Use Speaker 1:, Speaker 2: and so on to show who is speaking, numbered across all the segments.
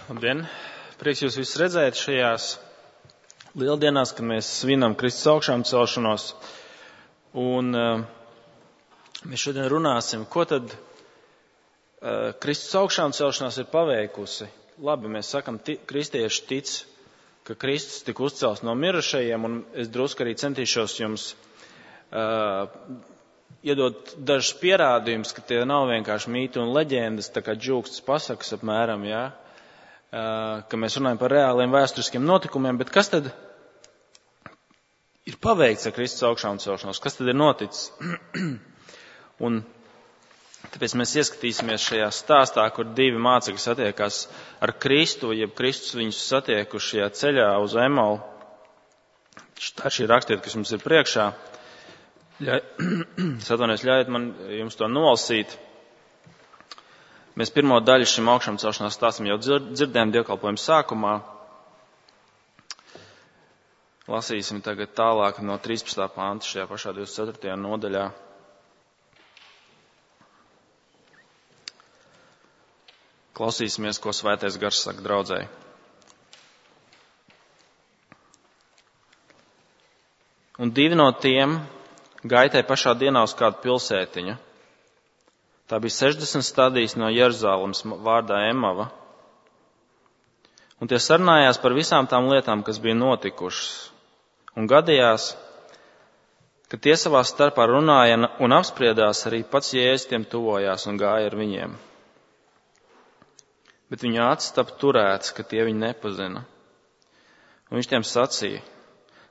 Speaker 1: Labdien! Prieks jūs visus redzēt šajās lieldienās, kad mēs svinam Kristus augšām celšanos. Un mēs šodien runāsim, ko tad Kristus augšām celšanās ir paveikusi. Labi, mēs sakam, kristieši tic, ka Kristus tika uzcelts no mirušajiem, un es drusku arī centīšos jums iedot dažus pierādījumus, ka tie nav vienkārši mīti un leģendas, tā kā džūkstas pasakas apmēram, jā. Ka mēs runājam par reāliem vēsturiskiem notikumiem, bet kas tad ir paveikts ar Kristus augšām celšanos? Kas tad ir noticis? Un tāpēc mēs ieskatīsimies šajā stāstā, kur divi mācekļi satiekās ar Kristu, jeb Kristus viņus satiekuši šajā ceļā uz Emalu. Tā šī rakstiet, kas mums ir priekšā. Ļaujiet man jums to nolasīt. Mēs pirmo daļu šim augšām celšanās stāstam jau dzirdējām dievkalpojuma sākumā. Lasīsim tagad tālāk no 13. panta šajā pašā 24. nodaļā. Klausīsimies, ko Svētais Gars saka draudzei. Un divi no tiem gaitēja pašā dienā uz kādu pilsētiņu. Tā bija 60 stadijas no Jeruzalemes vārdā Emava. Un tie sarunājās par visām tām lietām, kas bija notikušas. Un gadījās, ka tie savā starpā runāja un apspriedās, arī pats Jēzus tiem tuvojās un gāja ar viņiem. Bet viņu acis tapa turētas, ka tie viņu nepazina. Un viņš tiem sacīja: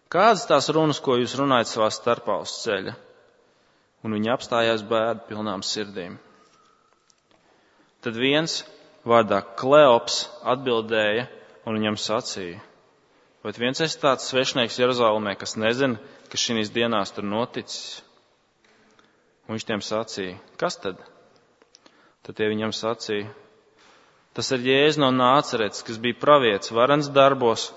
Speaker 1: kādas tās runas, ko jūs runājat savā starpā uz ceļa? Un viņi apstājās bēdu pilnām sirdīm. Tad viens vārdā Kleops atbildēja un viņam sacīja: vai viens esi tāds svešnieks Jeruzalemē, kas nezina, ka šīs dienās tur noticis? Un viņš tiem sacīja: kas tad? Tad tie viņam sacīja: tas ir Jēzus no Nāceretes, kas bija pravietis, varens darbos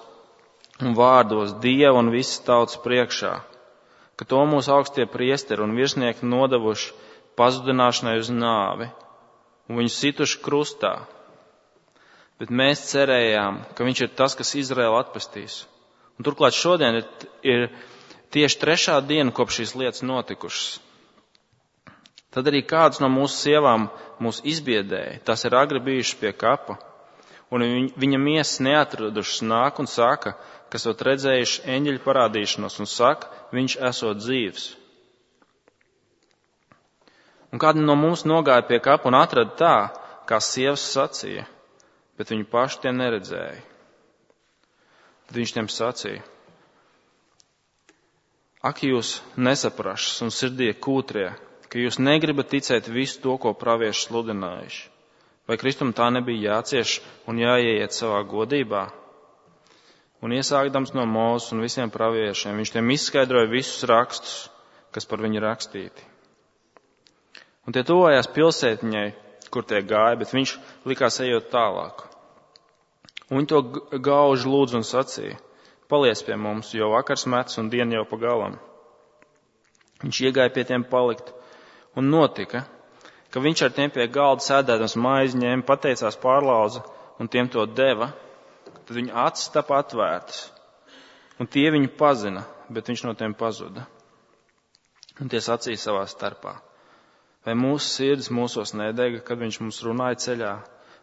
Speaker 1: un vārdos Dieva un visas tautas priekšā, ka to mūsu augstie priesteri un virsnieki nodevuši pazudināšanai uz nāvi un viņu situši krustā. Bet mēs cerējām, ka viņš ir tas, kas Izraēlu atpestīs. Un turklāt šodien ir tieši 3. diena, kopš šīs lietas notikušas. Tad arī kādas no mūsu sievām mūs izbiedēja, tās ir agri bijušas pie kapa, un viņa miesas neatradušas nāk un saka, kas ot redzējuši eņģeļu parādīšanos, un saka, viņš esot dzīvs. Un kādi no mums nogāja pie kapa un atrada tā, kā sievas sacīja, bet viņu paši tie neredzēja. Tad viņš tiem sacīja: ak, jūs nesaprašas un sirdie kūtrie, ka jūs negribat ticēt visu to, ko pravieši sludinājuši. Vai Kristum tā nebija jācieš un jāieiet savā godībā? Un iesākdams no Mūzes un visiem praviešiem, viņš tiem izskaidroja visus rakstus, kas par viņu rakstīti. Un tie tuvojās pilsētiņai, kur tie gāja, bet viņš likās ejot tālāk. Un viņi to gauži lūdzu un sacīja: paliec pie mums, jo vakars mets un diena jau pa galam. Viņš iegāja pie tiem palikt, un notika, ka viņš ar tiem pie galda sēdēdams maizi ņēma, pateicās, pārlauza un tiem to deva. Tad viņa acis tapa atvērtas, un tie viņu pazina, bet viņš no tiem pazuda. Un tie sacīja savā starpā: vai mūsu sirds mūsos nedega, kad viņš mums runāja ceļā,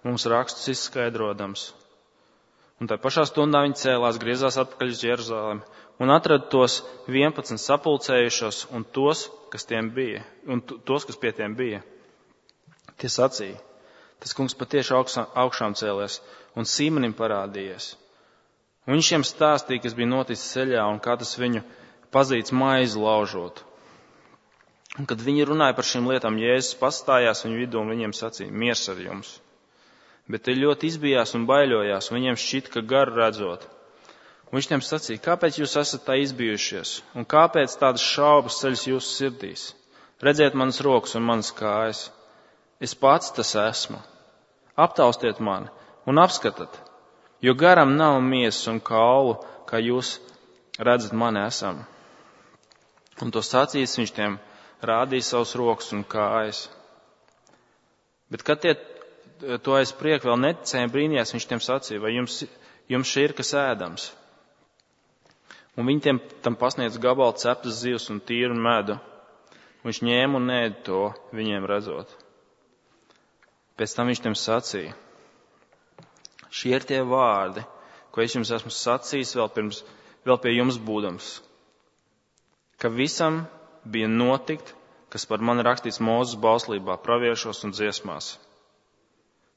Speaker 1: mums rakstus izskaidrodams? Un tā pašā stundā viņi cēlās, griezās atpakaļ uz Jeruzalemi un atrada tos 11 sapulcējušos un tos, kas pie tiem bija. Tie sacīja: tas kungs patieši augšām cēlies un Sīmanim parādījies. Un viņš šiem stāstīja, kas bija noticis ceļā un kā tas viņu pazīts maizi laužot. Un kad viņi runāja par šīm lietām, Jēzus pastājās viņu vidū un viņiem sacīja: miers ar jums. Bet tie ļoti izbijās un baiļojās, un viņiem šķita, ka garu redzot. Un viņš tiem sacīja: kāpēc jūs esat tā izbijušies? Un kāpēc tādas šaubas ceļas jūsu sirdīs? Redziet manas rokas un manas kājas. Es pats tas esmu. Aptaustiet mani un apskatat, jo garam nav miesas un kaulu, kā jūs redzat mani esam. Un to sacījis viņš tiem rādīja savus rokas un kājas. Bet kad tie to aiz prieka vēl neticēja, brīnījās, viņš tiem sacīja, vai jums šī ir kas ēdams? Un viņi tam pasniedz gabalu ceptas zivs un tīru medu. Viņš ņēma un ēda to, viņiem redzot. Pēc tam viņš tiem sacīja, šie ir tie vārdi, ko es jums esmu sacījis vēl pie jums būdams, ka visam bija notikt, kas par mani rakstīts Mūzes bauslībā, praviešos un dziesmās.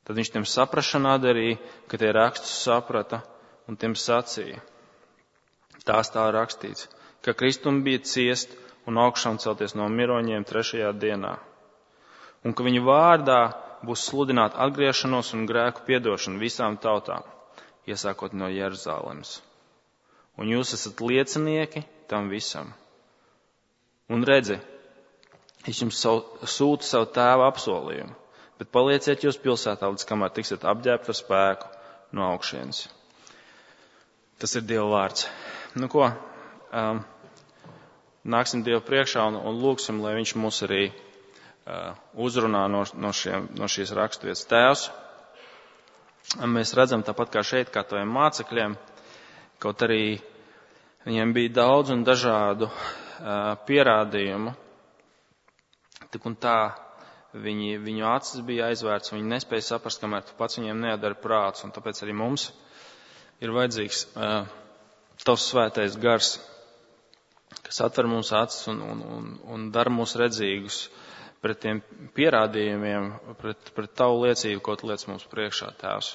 Speaker 1: Tad viņš tiem saprašanā darīja, ka tie rakstus saprata un tiem sacīja. Tās tā rakstīts, ka Kristum bija ciest un augšām celties no miroņiem 3. dienā, un ka viņa vārdā būs sludināt atgriešanos un grēku piedošanu visām tautām, iesākot no Jeruzalemes. Un jūs esat liecinieki tam visam. Un redzi, es jums sūtu savu tēva apsolījumu, bet palieciet jūs pilsētā, līdz kamēr tiksiet apģērbti ar spēku no augšienes. Tas ir Dieva vārds. Nu ko, nāksim Dievu priekšā un lūgsim, lai viņš mūs arī uzrunā no šīs raksturvietas. Tēvs, mēs redzam tāpat kā šeit, kā taviem mācekļiem, kaut arī viņiem bija daudz un dažādu pierādījumu, tik un tā viņu acis bija aizvērts, viņi nespēja saprast, kamēr tu pats viņiem neatdari prāts, un tāpēc arī mums ir vajadzīgs tavs svētais gars, kas atver mums acis un dara mūs redzīgus pret tiem pierādījumiem, pret tavu liecību, ko tu liec mums priekšā, Tēvs.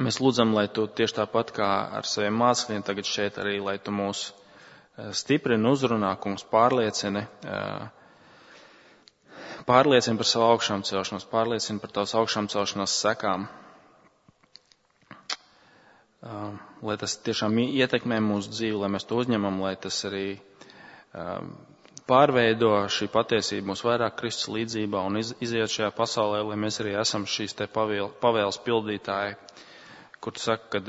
Speaker 1: Mēs lūdzam, lai tu tieši tāpat kā ar saviem mācekļiem tagad šeit arī, lai tu mūs stiprini, uzrunā, kungs, pārliecini par savu augšām celšanos, pārliecini par tavas augšām celšanās sekām. Lai tas tiešām ietekmē mūsu dzīvi, lai mēs to uzņemam, lai tas arī pārveido šī patiesība mūs vairāk Kristus līdzībā un iziet šajā pasaulē, lai mēs arī esam šīs te pavēles pildītāji, kur tu saki, kad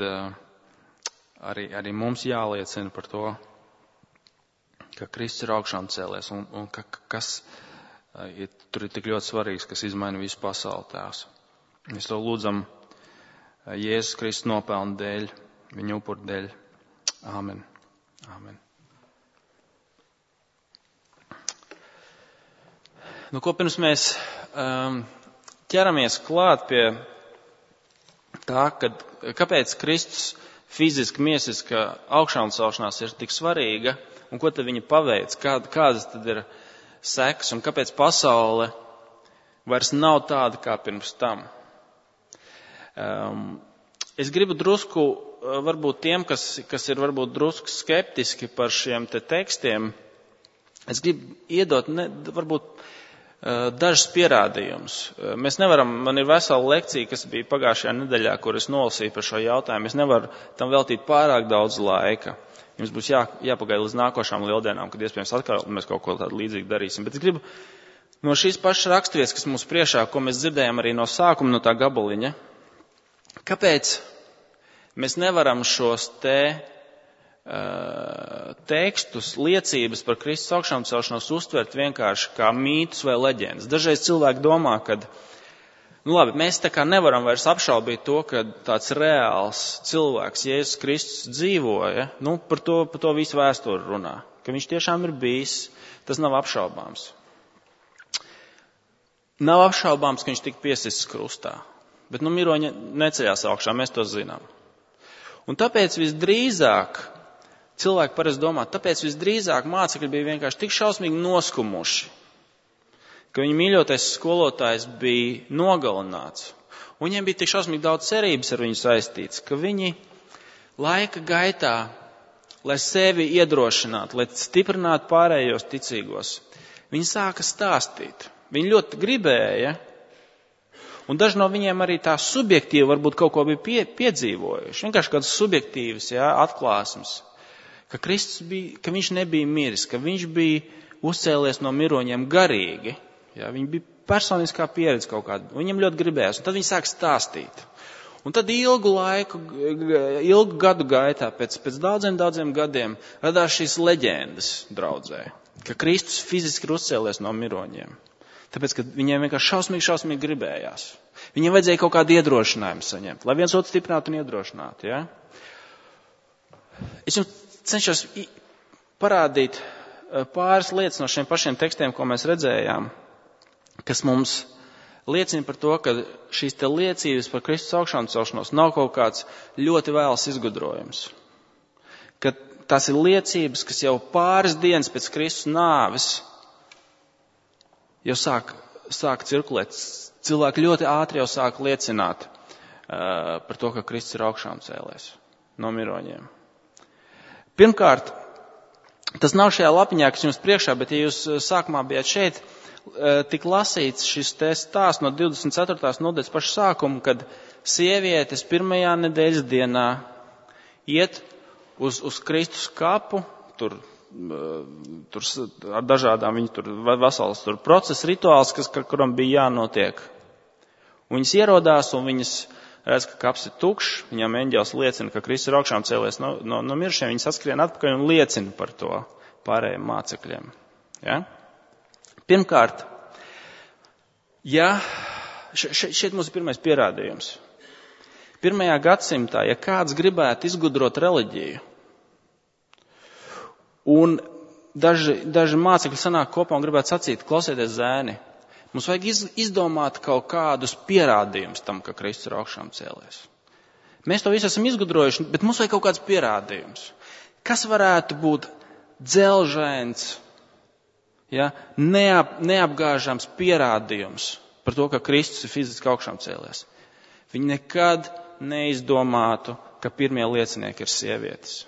Speaker 1: arī mums jāliecina par to, ka Kristus ir augšām cēlies un kas tur ir tik ļoti svarīgs, kas izmaina visu pasauli, Tēvs. Mēs to lūdzam Jēzus Kristus nopelnu dēļ, viņa upuru dēļ. Āmen. Āmen. Nu, ko pirms mēs ķeramies klāt pie tā, kāpēc Kristus fiziski, miesiska augšām celšanās ir tik svarīga un ko tad viņa paveic, kādas tad ir sekas un kāpēc pasaule vairs nav tāda kā pirms tam. Es gribu drusku, varbūt tiem, kas ir varbūt drusku skeptiski par šiem te tekstiem, es gribu iedot varbūt dažas pierādījumus. Mēs nevaram, man ir vesela lekcija, kas bija pagājušajā nedēļā, kur es nolasīju par šo jautājumu. Es nevaru tam veltīt pārāk daudz laika. Jums būs jāpagaida līdz nākošām lieldienām, kad iespējams atkal mēs kaut ko tādu līdzīgu darīsim. Bet es gribu no šīs pašas raksturvietas, kas mums priekšā, ko mēs dzirdējām arī no sākuma, no tā gabaliņa, kāpēc mēs nevaram šos tekstus, liecības par Kristus augšām celšanos uztvert vienkārši kā mītus vai leģendas. Dažreiz cilvēki domā, ka, mēs tā kā nevaram vairs apšaubīt to, ka tāds reāls cilvēks, Jēzus Kristus, dzīvoja, par to visu vēsturi runā, ka viņš tiešām ir bijis, tas nav apšaubāms. Nav apšaubāms, ka viņš tika piesists krustā, bet miroņi neceļās augšā, mēs to zinām. Un tāpēc visdrīzāk cilvēki parasti domā, tāpēc visdrīzāk mācekļi bija vienkārši tik šausmīgi noskumuši, ka viņa mīļotais skolotājs bija nogalināts. Un viņiem bija tik šausmīgi daudz cerības ar viņu saistīts, ka viņi laika gaitā, lai sevi iedrošinātu, lai stiprinātu pārējos ticīgos, viņi sāka stāstīt. Viņi ļoti gribēja, un daži no viņiem arī tā subjektīvi varbūt kaut ko bija piedzīvojuši. Vienkārši kādas subjektīvas atklāsmes. Ka Kristus bija, ka viņš nebija miris, ka viņš bija uzcēlies no miroņiem garīgi. Viņi bija personiskā pieredze kaut kāda. Viņiem ļoti gribējās, un tad viņi sāk stāstīt. Un tad ilgu gadu gaitā, pēc daudziem gadiem, radās šīs leģendas draudzē, ka Kristus fiziski ir uzcēlies no miroņiem. Tāpēc, ka viņiem vienkārši šausmīgi gribējās. Viņiem vajadzēja kaut kādu iedrošinājumu saņemt, lai viens otru stiprinātu un iedrošinātu. Ja? Es jums cenšos parādīt pāris lietas no šiem pašiem tekstiem, ko mēs redzējām, kas mums liecina par to, ka šīs te liecības par Kristus augšām celšanos nav kaut kāds ļoti vēls izgudrojums. Ka tās ir liecības, kas jau pāris dienas pēc Kristus nāves jau sāk cirkulēt. Cilvēki ļoti ātri jau sāk liecināt par to, ka Kristus ir augšām cēlies no miroņiem. Pirmkārt, tas nav šajā lapiņā, kas jums priekšā, bet ja jūs sākumā bijāt šeit, tik lasīts šis stāsts no 24. nodaļas paša sākuma, kad sievietes pirmajā nedēļas dienā iet uz Kristus kapu, tur ar dažādām, viņi tur vesels procesa rituāls, kuram bija jānotiek. Un viņas ierodās un viņas redz, ka kaps ir tukšs, viņām eņģelis liecina, ka Kristus ir augšām cēlies no miršiem, viņas atskrien atpakaļ un liecina par to pārējiem mācekļiem. Ja? Pirmkārt, šeit mums ir pirmais pierādījums. 1. gadsimtā, ja kāds gribētu izgudrot reliģiju, un daži mācekļi sanāk kopā un gribētu sacīt, klausieties zēni, mums vajag izdomāt kaut kādus pierādījumus tam, ka Kristus ir augšām cēlies. Mēs to visu esam izgudrojuši, bet mums vajag kaut kāds pierādījums. Kas varētu būt dzelžains, ja, neapgāžams pierādījums par to, ka Kristus ir fiziski augšām cēlies? Viņi nekad neizdomātu, ka pirmie liecinieki ir sievietes.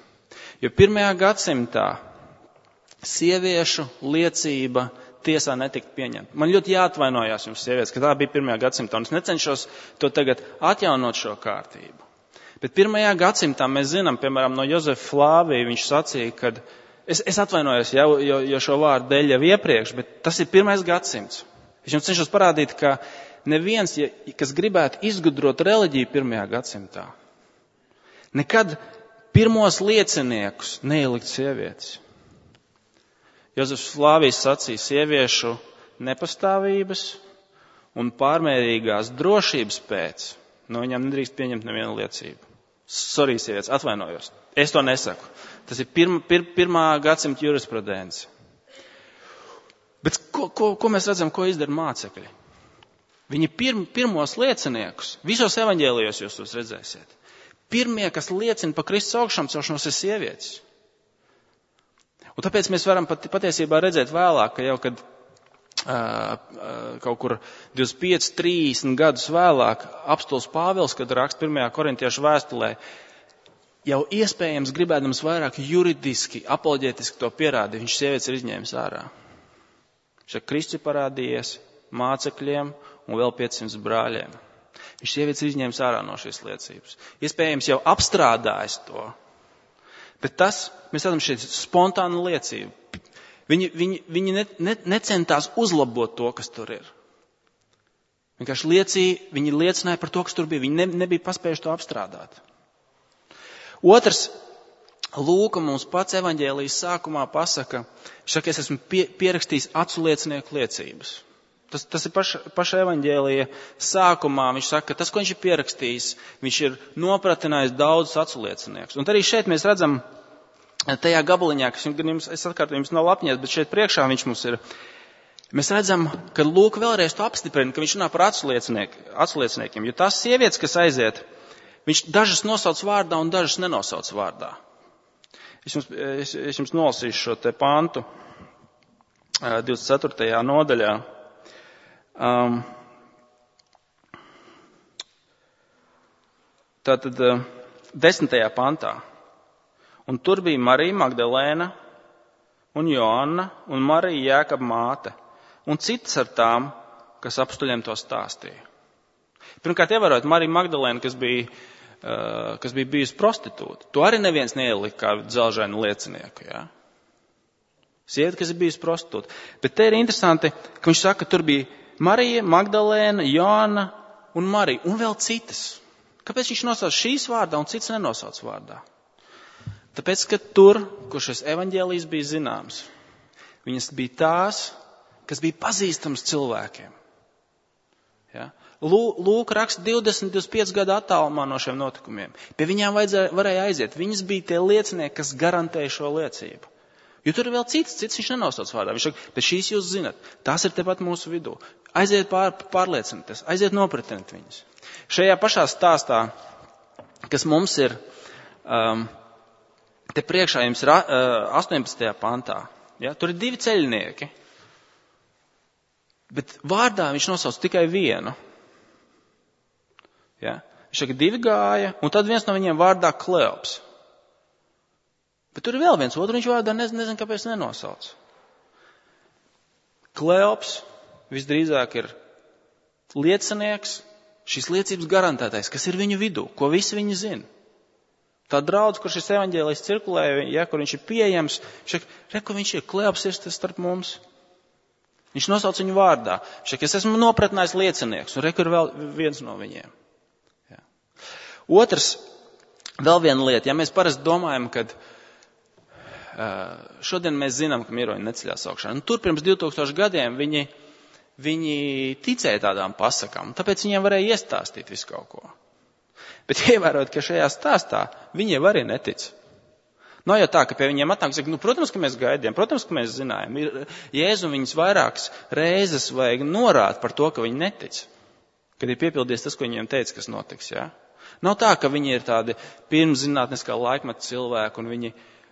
Speaker 1: Jo 1. gadsimtā sieviešu liecība tiesā netika pieņemta. Man ļoti jāatvainojās jums, sievietes, ka tā bija 1. gadsimtā, un es necenšos to tagad atjaunot šo kārtību. Bet 1. gadsimtā mēs zinām, piemēram, no Jozefa Flāvija, viņš sacīja, ka es atvainojos jo šo vārdu dēļ jau iepriekš, bet tas ir 1. gadsimts. Es jums cenšos parādīt, ka neviens, kas gribētu izgudrot reliģiju 1. gadsimtā, nekad pirmos lieciniekus neielikt sievietes. Jozefs Flāvijs sacīja sieviešu nepastāvības un pārmērīgās drošības pēc, no viņām nedrīkst pieņemt nevienu liecību. Sorry, sievietes, atvainojos. Es to nesaku. Tas ir 1. gadsimta jurisprudence. Bet ko mēs redzam, ko izdara mācekļi? Viņi pirmos lieciniekus, visos evaņģēlijos jūs tos redzēsiet. Pirmie, kas liecina par Kristus augšām celšanos, ir sievietes. Un tāpēc mēs varam patiesībā redzēt vēlāk, ka jau kad kaut kur 25, 30 gadus vēlāk apostols Pāvils, kad raksta 1. korintiešu vēstulē, jau iespējams gribēdams vairāk juridiski, apoloģētiski to pierādīt, viņš sievietes ir izņēmis ārā. Viņš Kristus parādījies mācekļiem un vēl 500 brāļiem. Viņš sievietes ir izņēmis ārā no šīs liecības. Iespējams jau apstrādājis to. Bet tas, mēs redzam, šeit spontāna liecība. Viņi necentās uzlabot to, kas tur ir. Vienkārši viņi liecināja par to, kas tur bija. Viņi nebija paspējuši to apstrādāt. Otrs, Lūka mums pats evaņģēlijas sākumā pasaka, viņš saka, es esmu pierakstījis acu liecinieku liecības. Tas ir paša evaņģēlija sākumā. Viņš saka, ka tas, ko viņš ir pierakstījis, viņš ir nopratinājis daudzus acu lieciniekus. Un arī šeit mēs redzam tajā gabaliņā, kas es atkārtoju, jums nav lapņies, bet šeit priekšā viņš mums ir. Mēs redzam, ka Lūka vēlreiz to apstiprina, ka viņš runā par acu lieciniekiem. Jo tās sievietes, kas aiziet, viņš dažas nosauc vārdā un dažas nenosauc vārdā. Es jums nolasīšu šo te pantu 24. nodaļā. Tātad 10. pantā. Un tur bija Marija Magdalēna un Joanna un Marija Jēkaba māte un citas ar tām, kas apstuļiem to stāstīja. Pirmkārt, ievērojot Mariju Magdalēnu, kas bija bijusi prostitūta. To arī neviens neielika kā dzelžainu liecinieku. Ja? Sieviete, kas ir bijusi prostitūta. Bet te ir interesanti, ka viņš saka, ka tur bija Marija, Magdalēna, Joanna un Marija un vēl citas. Kāpēc viņš nosauc šīs vārdā un citas nenosauc vārdā? Tāpēc, ka tur, kur šis evaņģēlijs bija zināms, viņas bija tās, kas bija pazīstams cilvēkiem. Ja? Lūk raksta 20-25 gadu attālumā no šiem notikumiem. Pie viņām varēja aiziet. Viņas bija tie liecinieki, kas garantēja šo liecību. Jo tur ir vēl cits viņš nenosauc vārdā. Viņš saka, bet šīs jūs zinat, tās ir tepat mūsu vidū. Aiziet pārliecinieties, aiziet nopratiniet viņas. Šajā pašā stāstā, kas mums ir, te priekšā jums ir 18. pantā, ja, tur ir 2 ceļnieki, bet vārdā viņš nosauc tikai vienu. Ja. Viņš saka, 2 gāja, un tad viens no viņiem vārdā Kleops. Bet tur ir vēl viens otru, viņš vārdā nezinu, kāpēc nenosauc. Kleops visdrīzāk ir liecinieks, šīs liecības garantētais, kas ir viņu vidū, ko visi viņi zina. Tā draudz, kur šis evaņģēlijs cirkulē, ja, kur viņš ir pieejams, viņš ir Kleops ir starp mums. Viņš nosauc viņu vārdā. Viņš saka, es esmu nopratinājis liecinieks, un ir vēl viens no viņiem. Ja. Otrs, vēl viena lieta, ja mēs parasti domājam, kad šodien mēs zinām, ka miroņi neceļās augšā. Un tur pirms 2000 gadiem viņi ticēja tādām pasakām, tāpēc viņiem varēja iestāstīt visu kaut ko. Bet ievērot, ka šajā stāstā viņiem arī netic. Nav jau tā, ka pie viņiem atnāk, saka, protams, ka mēs gaidījām, protams, ka mēs zinājām. Jēzu viņus vairākas reizes vajag norāt par to, ka viņi netic. Kad ir piepildies tas, ko viņiem teica, kas notiks. Ja? Nav tā, ka viņi ir tādi pirmszinātniskā laikmeta cilvēki un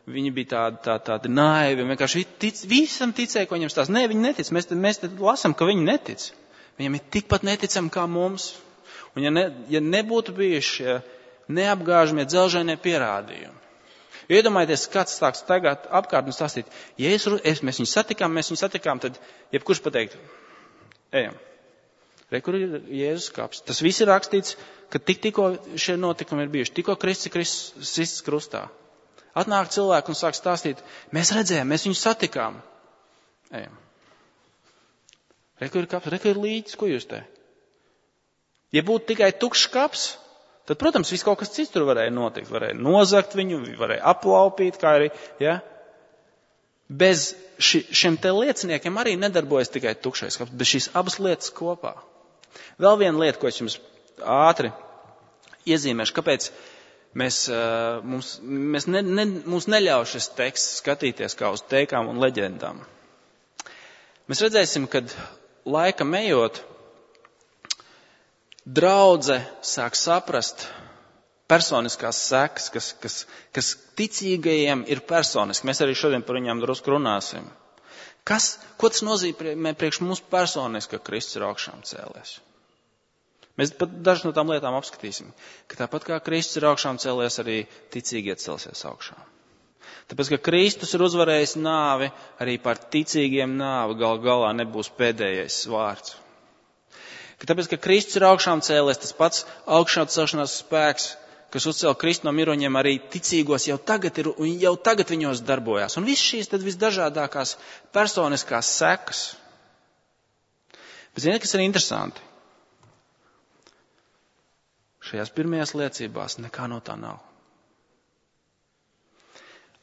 Speaker 1: viņi bija tādi naivi, vienkārši visam ticēja, ko viņam stāsta. Nē, viņi netic. Mēs te lasam, ka viņi netic. Viņam ir tikpat neticami kā mums. Un ja nebūtu bijuši neapgāžamie dzelžainie pierādījumi. Iedomājieties, kāds stāks tagad apkārt un stāstīt, ja mēs viņu satikām, tad jebkurš pateikt, ejam. Kur ir Jēzus kaps? Tas viss ir rakstīts, ka tikko šie notikumi ir bijuši, tikko Kristus krustā. Atnāk cilvēki un sāk stāstīt, mēs redzējām, mēs viņu satikām. Ejam. Kur ir kaps? Kur ir līķis? Ko jūs te? Ja būtu tikai tukšs kaps, tad, protams, viss kaut kas cits tur varēja notikt. Varēja nozagt viņu, varēja aplaupīt, kā arī, ja. Bez šiem te lieciniekiem arī nedarbojas tikai tukšais kaps, bet šīs abas lietas kopā. Vēl viena lieta, ko es jums ātri iezīmēšu, kāpēc mums neļauj šis teksts skatīties kā uz teikām un leģendām. Mēs redzēsim, kad laikam ejot, draudze sāk saprast personiskās sekas, kas ticīgajiem ir personiski. Mēs arī šodien par viņām drusku runāsim. Ko tas nozīmē priekš mums personiski, ka Kristus ir augšām cēlies? Mēs pat dažas no tām lietām apskatīsim, ka tāpat kā Kristus ir augšām cēlies, arī ticīgie celsies augšām. Tāpēc, ka Kristus ir uzvarējis nāvi, arī par ticīgiem nāvi galā nebūs pēdējais vārds. Tāpēc, ka Kristus ir augšām cēlies, tas pats augšām celšanās spēks, kas uzcēla Kristu no miroņiem, arī ticīgos jau tagad viņos darbojās. Un viss šīs tad visdažādākās personiskās sekas. Bet ziniet, kas ir interesanti? Šajās pirmajās liecībās nekā no tā nav.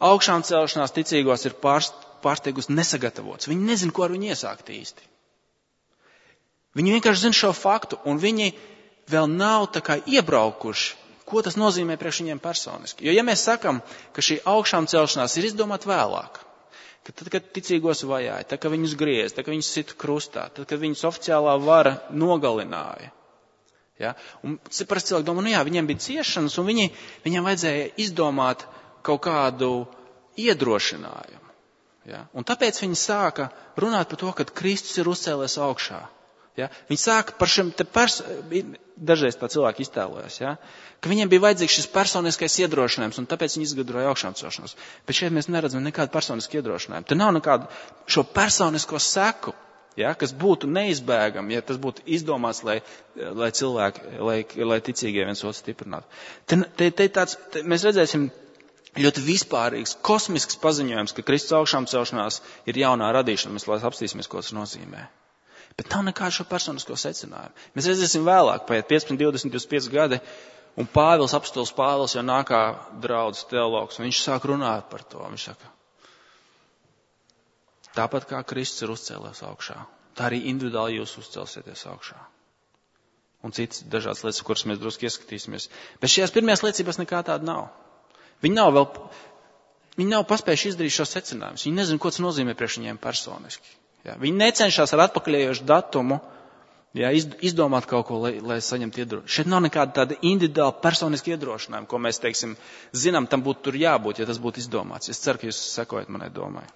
Speaker 1: Augšām celšanās ticīgos ir pārsteigums nesagatavots. Viņi nezin, ko ar viņu iesākt īsti. Viņi vienkārši zina šo faktu, un viņi vēl nav tā kā iebraukuši, ko tas nozīmē priekš viņiem personiski. Jo ja mēs sakam, ka šī augšām celšanās ir izdomāta vēlāk, ka tad, kad ticīgos vajāja, tad, kad viņus griez, tad, kad viņus sita krustā, tad, kad viņus oficiālā vara nogalināja, ja? Un parasti cilvēki domā, viņiem bija ciešanas, un viņiem vajadzēja izdomāt kaut kādu iedrošinājumu. Ja? Un tāpēc viņi sāka runāt par to, ka Kristus ir uzcēlies augšā. Ja? Viņi sāka par šiem dažreiz tā cilvēki iztēlojas, ja? Ka viņiem bija vajadzīgs šis personiskais iedrošinājums, un tāpēc viņi izgudroja augšām celšanos. Bet šeit mēs neredzam nekādu personisku iedrošinājumu. Te nav nekādu šo personisko seku, ja? Kas būtu neizbēgami, ja tas būtu izdomāts, lai cilvēki, lai ticīgie viens otru stiprinātu. Mēs redzēsim ļoti vispārīgs, kosmisks paziņojums, ka Kristus augšām celšanās ir jaunā radīšana. Mēs apstīsimies, ko tas nozīmē. Bet nav nekādu šo personisko secinājumu. Mēs redzēsim vēlāk, paiet 15, 20, 25 gadi, un apostols Pāvils jau nāk kā draudzes teologs, un viņš sāk runāt par to. Viņš saka, Tāpat kā Kristus ir uzcēlies augšā, tā arī individuāli jūs uzcelsieties augšā. Un citas dažādas lietas, kuras mēs drusku ieskatīsimies. Bet šajās pirmajās liecībās nekā tāda nav. Viņi nav paspējuši izdarīt šo secinājumus. Viņi nezina, ko tas nozīmē priekš viņiem personiski. Ja? Viņi necenšas ar atpakaļējošu datumu izdomāt kaut ko, lai saņemtu iedrošinājumu. Šeit nav nekāda tāda individuāla personiska iedrošinājuma, ko mēs, zinām, tam būtu tur jābūt, ja tas būtu izdomāts. Es ceru, ka jūs sekojat manai domai.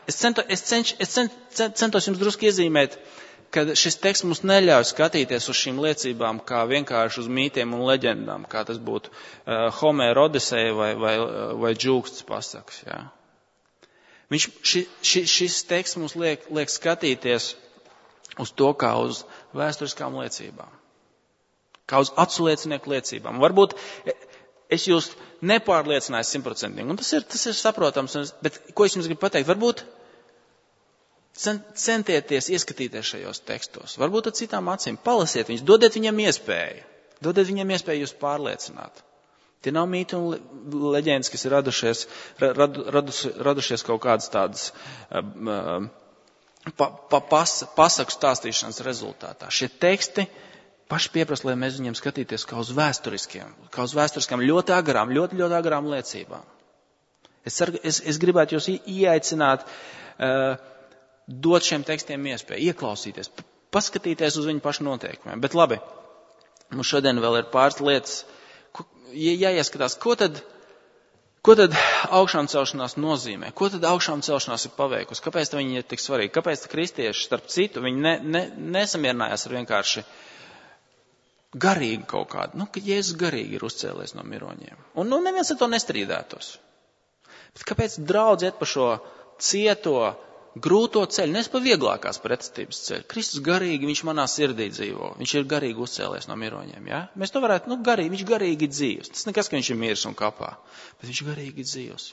Speaker 1: Es centos jums drusku iezīmēt, ka šis teksts mums neļauj skatīties uz šīm liecībām kā vienkārši uz mītiem un leģendām, kā tas būtu Homēra Odiseja vai Džūksts pasakas. Ja? Šis teksts mums liek skatīties uz to kā uz vēsturiskām liecībām, kā uz aculiecinieku liecībām. Varbūt es jūs nepārliecināju 100%, un tas ir saprotams, bet ko es jums gribu pateikt? Varbūt centieties ieskatīties šajos tekstos, varbūt ar citām acīm, palasiet viņus, dodiet viņam iespēju jūs pārliecināt. Tie nav mīti un leģendas, kas ir radušies kaut kādas tādas pasaku stāstīšanas rezultātā. Šie teksti paši pieprasa, lai mēs viņiem skatīties kā uz vēsturiskām ļoti agrām liecībām. Es gribētu jūs ieaicināt, dot šiem tekstiem iespēju, ieklausīties, paskatīties uz viņu pašu noteikumiem. Bet labi, mums šodien vēl ir pāris lietas, jāieskatās, ko tad augšām celšanās nozīmē? Ko tad augšām celšanās ir paveikusi? Kāpēc viņi ir tik svarīgi? Kāpēc kristieši, starp citu, viņi nesamierinājās ar vienkārši garīgi kaut kādu? Ka Jēzus garīgi ir uzcēlies no miroņiem. Un neviens ar to nestrīdētos. Bet kāpēc draudz iet pa šo cieto, grūto ceļu, nes pa vieglākās pretestības ceļu? Kristus garīgi, viņš manā sirdī dzīvo. Viņš ir garīgi uzcēlies no miroņiem. Ja? Mēs to varētu, viņš garīgi dzīvs. Tas nekas, ka viņš ir miris un kapā, bet viņš garīgi dzīvs.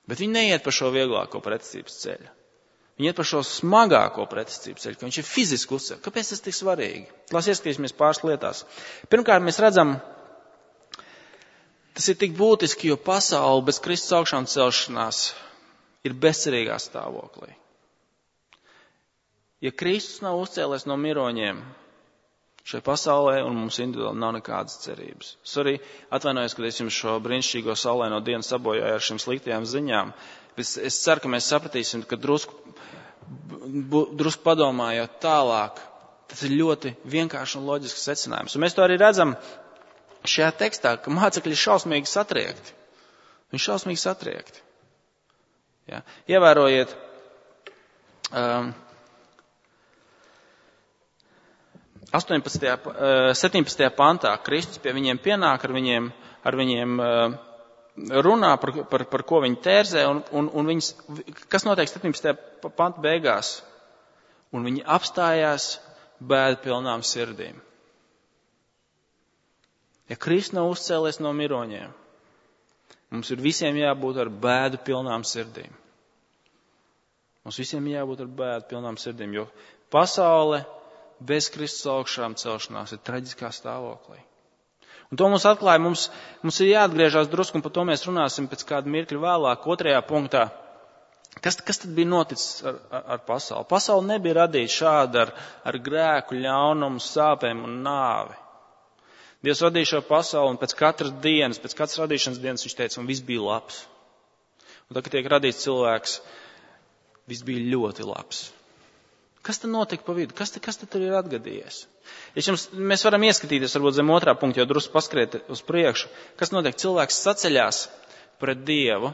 Speaker 1: Bet viņi neiet pa šo vieglāko pretestības ceļu. Viņi iet pa šo smagāko pretestības ceļu, ka viņš ir fiziski uzcēlies. Kāpēc tas tik svarīgi? Lās ieskatīsimies pāris lietās. Pirmkārt, mēs redzam, tas ir tik būtiski, jo pasaule bez Kristus augšām celšanās ir bezcerīgā stāvoklī. Ja Kristus nav uzcēlies no miroņiem šai pasaulē un mums individuāli nav nekādas cerības. Es arī atvainojos, kad es jums šo brīnišķīgo saulaino dienu sabojāju ar šīm sliktajām ziņām. Es ceru, ka mēs sapratīsim, ka drusku padomājot tālāk, tas ir ļoti vienkārši un loģisks secinājums. Un mēs to arī redzam šajā tekstā, ka mācekļi ir šausmīgi satriekti. Viņi ir šausmīgi satriekti. Ja. Ievērojiet, 17. pantā Kristus pie viņiem pienāk, ar viņiem runā par ko viņi tērzē, un viņas, kas notiek 17. panta beigās, un viņi apstājās bēdu pilnām sirdīm. Ja Kristus nav uzcēlies no miroņiem, mums ir visiem jābūt ar bēdu pilnām sirdīm. Mums visiem jābūt ar bēdu pilnām sirdīm, jo pasaule bez Kristus augšām celšanās ir traģiskā stāvoklī. Un to mums atklāja, mums ir jāatgriežās drusku, un par to mēs runāsim pēc kāda mirkļa vēlāk, 2. punktā. Kas tad bija noticis ar pasauli? Pasaule nebija radīta šāda ar grēku, ļaunumu, sāpēm un nāvi. Dievs radīja šo pasauli, un pēc katras radīšanas dienas viņš teica, un viss bija labs. Un tad, kad tiek radīts cilvēks, viss bija ļoti labs. Kas tad notika pa vidu? Kas tad tur ir atgadījies? Mēs varam ieskatīties, varbūt zem 2. punkta, jau drusku paskriet uz priekšu. Kas notiek? Cilvēks saceļās pret Dievu,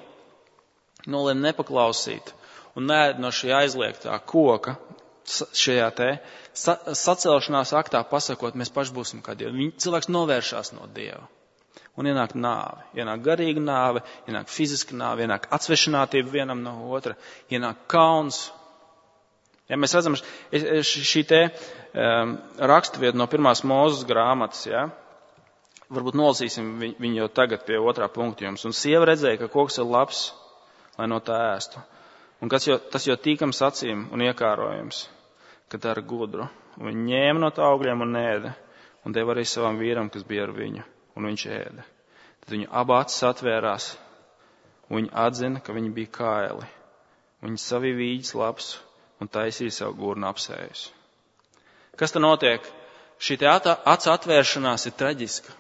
Speaker 1: nolēma nepaklausīt un neēd no šī aizliegtā koka, šajā sacelšanās aktā pasakot, mēs paši būsim kā Dievi. Cilvēks novēršās no Dieva. Un ienāk nāve. Ienāk garīga nāve, ienāk fiziska nāve, ienāk atsvešinātība vienam no otra, ienāk kauns. Ja mēs redzam šī raksturvieta no 1. Mūzes grāmatas, ja? Varbūt nolasīsim viņu jau tagad pie 2. punkta jums. Un sieva redzēja, ka koks ir labs, lai no tā ēstu. Un tas jau tīkams acīm un iekārojums, ka dara gudru. Un viņi ņēma no tā augļiem un ēda, un deva arī savam vīram, kas bija ar viņu, un viņš ēda. Tad viņu abu acis atvērās, un viņi atzina, ka viņi bija kaili. Viņi savīja vīģes lapus un taisīja savu gurnu apsējus. Kas tad notiek? Šī acu atvēršanās ir traģiska.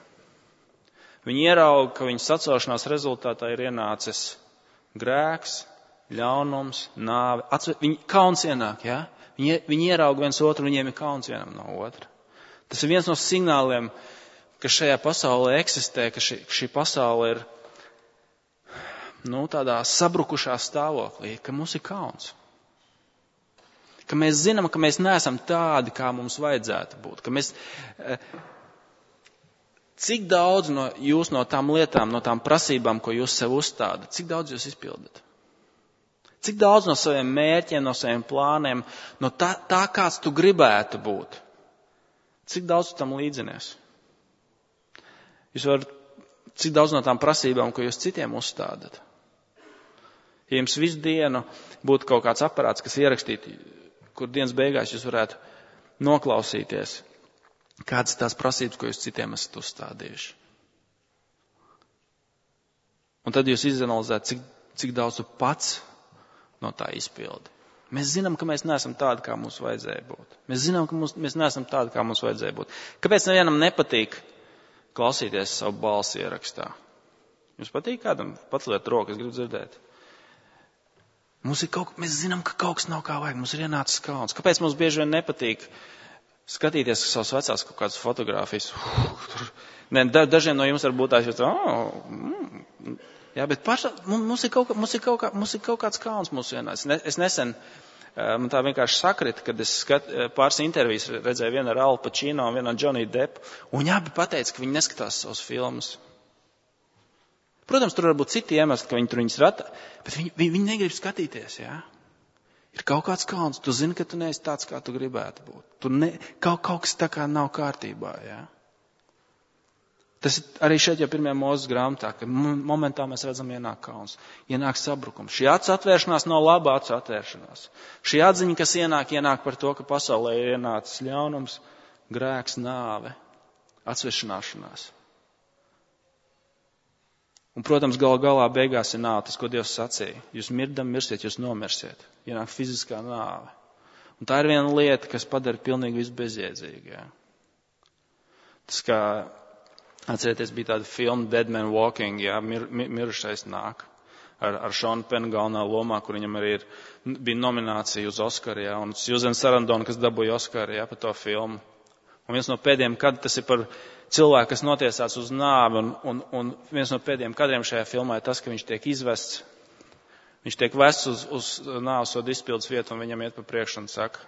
Speaker 1: Viņi ierauga, ka viņu sacelšanās rezultātā ir ienācis grēks, ļaunums, nāve. Viņi kauns ienāk, ja? Viņi ierauga viens otru, viņiem ir kauns vienam no otra. Tas ir viens no signāliem, ka šajā pasaulē eksistē, ka šī pasaule ir tādā sabrukušā stāvoklī, ka mums ir kauns. Ka mēs zinām, ka mēs neesam tādi, kā mums vajadzētu būt. Ka mēs, cik daudz no jūs no tām lietām, no tām prasībām, ko jūs sev uzstādat, cik daudz jūs izpildat? Cik daudz no saviem mērķiem, no saviem plāniem, no tā kāds tu gribētu būt, cik daudz tu tam līdzinies? Cik daudz no tām prasībām, ko jūs citiem uzstādat? Ja jums visu dienu būtu kaut kāds aparāts, kas ierakstītu, kur dienas beigās jūs varētu noklausīties, kādas tās prasības, ko jūs citiem esat uzstādījuši. Un tad jūs izanalizētu, cik daudz tu pats no tā izpildi. Mēs zinām, ka mēs neesam tādi, kā mums vajadzēja būt. Mēs zinām, ka mēs neesam tādi, kā mums vajadzēja būt. Kāpēc nevienam nepatīk klausīties savu balsi ierakstā? Jums patīk kādam? Paceliet roku, es gribu dzirdēt. Mēs zinām, ka kaut kas nav kā vajag. Mums ir ienācis kauns. Kāpēc mums bieži vien nepatīk skatīties uz savas vecās kaut kādas fotogrāfijas? Dažiem no jums varbūt tās jūs jā, bet mums ir kaut kāds kauns mūsu vienās. Es nesen, man tā vienkārši sakrita, kad es pāris intervijas redzēju vienu ar Al Pacino un vienu ar Johnny Deppu, un viņi abi pateica, ka viņi neskatās savus filmas. Protams, tur var būt citi iemesli, ka viņi tur viņus rata, bet viņi negrib skatīties, jā. Ir kaut kāds kauns, tu zini, ka tu neesi tāds, kā tu gribētu būt. Kaut kas tā kā nav kārtībā, jā. Tas ir arī šeit jau 1. Mūzes grāmatā, ka momentā mēs redzam ienāk kauns, ienāk sabrukums. Šī acu atvēršanās nav laba acu atvēršanās. Šī atziņa, kas ienāk par to, ka pasaulē ir ienācis ļaunums, grēks, nāve, atsvešināšanās. Un, protams, galā beigās ir nāve, tas, ko Dievs sacīja. Jūs mirsiet, jūs nomirsiet. Ienāk fiziskā nāve. Un tā ir viena lieta, kas padara pilnīgi visu bezjēdzīgu. Jā. Tas kā, atcerieties, bija tāda filma Dead Man Walking, jā, mirušais nāk. Ar Šonu Penu galvenā lomā, kur viņam arī bija nominācija uz Oskaru, jā, un Susan Sarandon, kas dabūja Oskaru, jā, par to filmu. Un viens no pēdējiem kadriem, tas ir par cilvēku, kas notiesāts uz nāvi, un viens no pēdējiem kadriem šajā filmā ir tas, ka viņš tiek izvests. Viņš tiek vests uz nāvsoda izpildes vietu, un viņam iet pa priekšu un saka,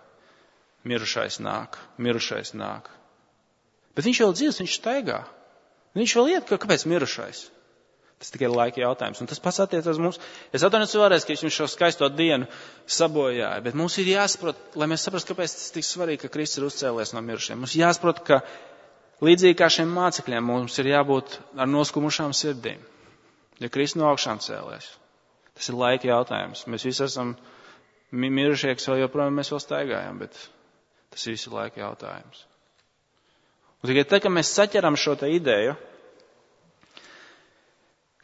Speaker 1: mirušais nāk. Bet viņš vēl dzīvs, viņš staigā. Viņš vēl iet, kāpēc mirušais? Tas tikai ir laika jautājums. Un tas pats attiecas uz mums. Es atvainojos vēlreiz, ka viņš šo skaisto dienu sabojāja, bet mums ir jāsaprot, lai mēs saprastu, kāpēc tas tik svarīgi, ka Kristus ir uzcēlies no mirušiem. Mums jāsaprot, ka līdzīgi kā šiem mācekļiem, mums ir jābūt ar noskumušām sirdīm. Ja Kristus no augšām cēlies, tas ir laika jautājums. Mēs visi esam mirušie, kas vēl joprojām mēs vēl staigājam, bet tas ir visi laika jautājums. Un tikai tad, kad mēs saķeram šo te ideju,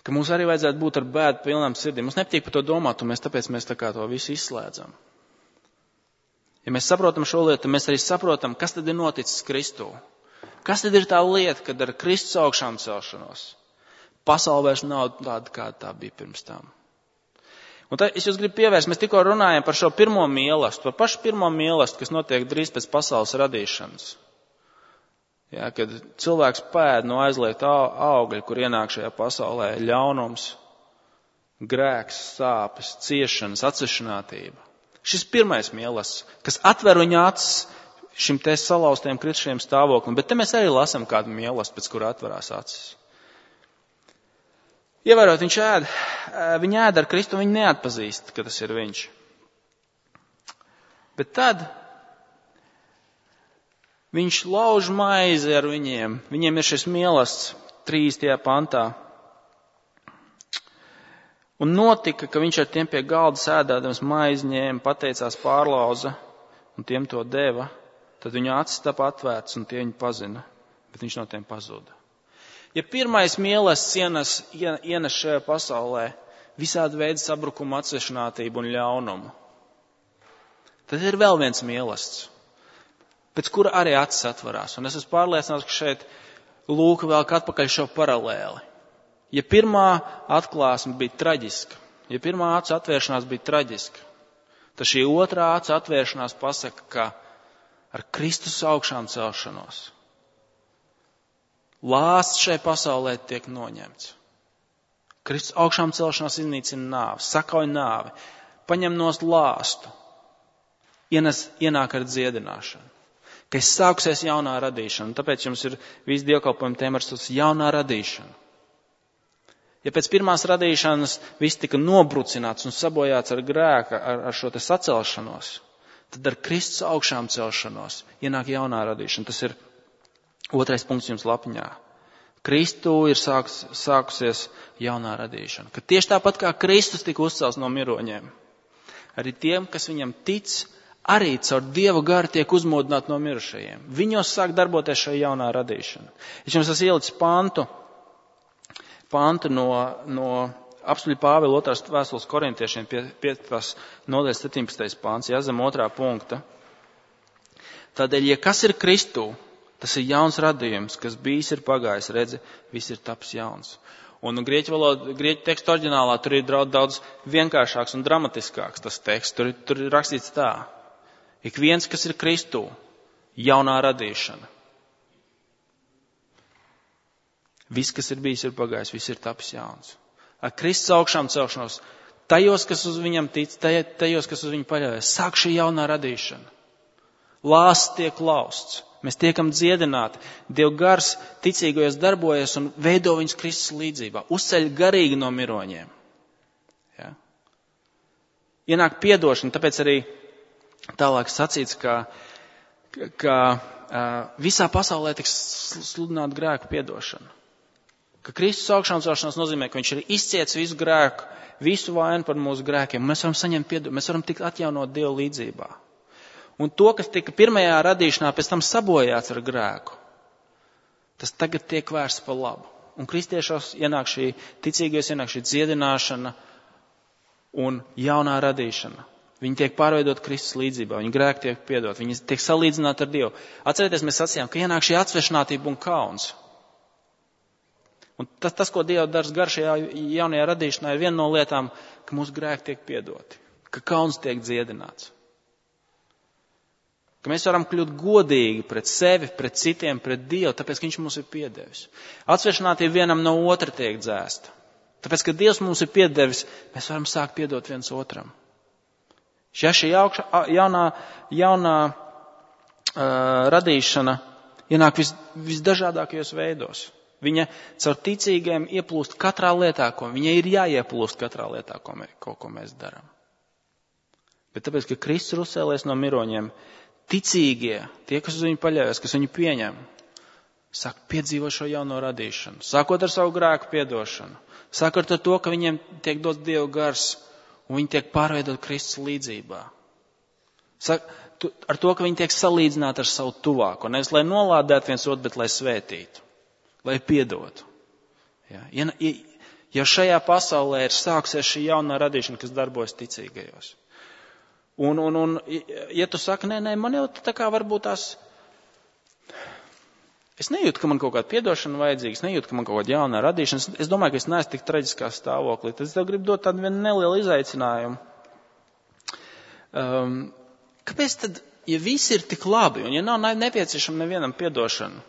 Speaker 1: ka mums arī vajadzētu būt ar bēdu pilnām sirdīm. Mums nepatīk par to domāt, un tāpēc mēs tā kā to visu izslēdzam. Ja mēs saprotam šo lietu, tad mēs arī saprotam, kas tad ir noticis Kristū. Kas tad ir tā lieta, kad ar Kristus augšām celšanos pasaule vairs nav tāda, kāda tā bija pirms tam. Un tad es jūs gribu pievērst, mēs tikko runājam par šo pirmo mīlestību, par pašu pirmo mīlestību, kas notiek drīz pēc pasaules radīšanas. Jā, kad cilvēks pēd no aizliegta augļa, kur ienāk šajā pasaulē ļaunums, grēks, sāpes, ciešanas, atsvešinātība. Šis pirmais mīlestības, kas atver viņa acis šim te salauztiem kritušiem stāvoklim, bet te mēs arī lasam kādu mīlestību, pēc kura atverās acis. Ievērot, viņi ēd ar Kristu, viņi neatpazīst, ka tas ir viņš. Bet tad viņš lauž maizi ar viņiem. Viņiem ir šis mīlestības 3. pantā. Un notika, ka viņš ar tiem pie galda sēdēdams maizi ņēma, pateicās, pārlauza un tiem to deva. Tad viņu acis tapa atvērts un tie viņu pazina, bet viņš no tiem pazuda. Ja pirmais mīlestības ienes šajā pasaulē visādi veidi sabrukumu, atsvešinātību un ļaunumu. Tad ir vēl viens mīlestības, pēc kura arī acis atvarās. Un es esmu pārliecināts, ka šeit Lūka velk atpakaļ šo paralēli. Ja pirmā atklāsme bija traģiska, ja pirmā acu atvēršanās bija traģiska, tad šī otrā acu atvēršanās pasaka, ka ar Kristus augšām celšanos lāsts šai pasaulē tiek noņemts. Kristus augšām celšanās iznīcina nāvi, sakauj nāvi, paņem nost lāstu, ienāk ar dziedināšanu. Ka es sākusies jaunā radīšana, tāpēc jums ir visi dievkalpojumi tēma ar jaunā radīšana. Ja pēc pirmās radīšanas viss tika nobrucināts un sabojāts ar grēku, ar šo te sacelšanos, tad ar Kristus augšām celšanos ienāk jaunā radīšana. Tas ir 2. punkts jums lapiņā. Kristu ir sākusies jaunā radīšana. Ka tieši tāpat kā Kristus tika uzcelts no miroņiem, arī tiem, kas viņam tic, arī caur Dieva garu tiek uzmodināti no mirušajiem. Viņos sāk darboties šī jaunā radīšana. Es jums esmu ielicis pantu no apstuļa Pāvila 2. vēstules korintiešiem 5. nodaļas 17. pants, zem 2. punkta. Tādēļ, ja kas ir Kristū, tas ir jauns radījums, kas bijis ir pagājis, redzi, viss ir taps jauns. Un grieķu tekstu oriģinālā tur ir daudz vienkāršāks un dramatiskāks tas teksts. Tur ir rakstīts tā. Ik viens, kas ir Kristū, jaunā radīšana. Viss, kas ir bijis, ir pagājis, viss ir tapis jauns. Ar Kristus augšām celšanos, tajos, kas uz viņam tic, tajos, kas uz viņu paļaujas, sāk šī jaunā radīšana. Lāsts tiek lausts, mēs tiekam dziedināti, Dieva gars ticīgajos darbojas un veido viņus Kristus līdzībā, uzceļ garīgi no miroņiem. Ja? Ienāk piedošana, tāpēc arī tālāk sacīts, ka visā pasaulē tiks sludināt grēku piedošanu. Ka Kristus augšām celšanās nozīmē, ka viņš ir izciets visu grēku, visu vainu par mūsu grēkiem. Mēs varam saņemt piedošanu, mēs varam tikt atjaunot Dieva līdzībā. Un to, kas tika pirmajā radīšanā, pēc tam sabojāts ar grēku, tas tagad tiek vērsts par labu. Un kristiešos ienāk šī ticīgais, ienāk šī dziedināšana un jaunā radīšana. Viņi tiek pārveidot Kristus līdzībā, viņi grēki tiek piedot, viņi tiek salīdzināti ar Dievu. Atcerieties, mēs sacījām, ka ienāk šī atsvešinātība un kauns. Un tas, ko Dieva dara gar šajā jaunajā radīšanā, ir viena no lietām, ka mūsu grēki tiek piedoti, ka kauns tiek dziedināts. Ka mēs varam kļūt godīgi pret sevi, pret citiem, pret Dievu, tāpēc, ka viņš mums ir piedevis. Atsvešinātība vienam no otra tiek dzēsta. Tāpēc, ka Dievs mums ir piedevis, mēs varam sākt piedot viens otram. Ja šī jaunā radīšana ienāk visdažādākajos veidos. Viņa caur ticīgiem ieplūst katrā lietā, viņai ir jāieplūst katrā lietā, ko mēs darām. Bet tāpēc, ka Kristus ir uzcēlies no miroņiem, ticīgie, tie, kas uz viņu paļaujas, kas viņu pieņem, sāk piedzīvot šo jauno radīšanu. Sākot ar savu grēku piedošanu. Sākot ar to, ka viņiem tiek dots Dieva gars un viņi tiek pārveidot Kristus līdzībā. Ar to, ka viņi tiek salīdzināti ar savu tuvāko. Nevis, lai nolādētu viens otru, bet lai svētītu. Lai piedotu. Ja, ja šajā pasaulē ir sāksies šī jaunā radīšana, kas darbojas ticīgajos. Un ja tu saki, nē, man jau tā kā varbūt tās, es nejūtu, ka man kaut kāda piedošana vajadzīga, es nejūtu, ka man kaut kāda jaunā radīšana, es domāju, ka es neesmu tik traģiskā stāvoklī, tad es tev gribu dot tādu vienu nelielu izaicinājumu. Kāpēc tad, ja viss ir tik labi, un ja nav nepieciešama nevienam piedošana,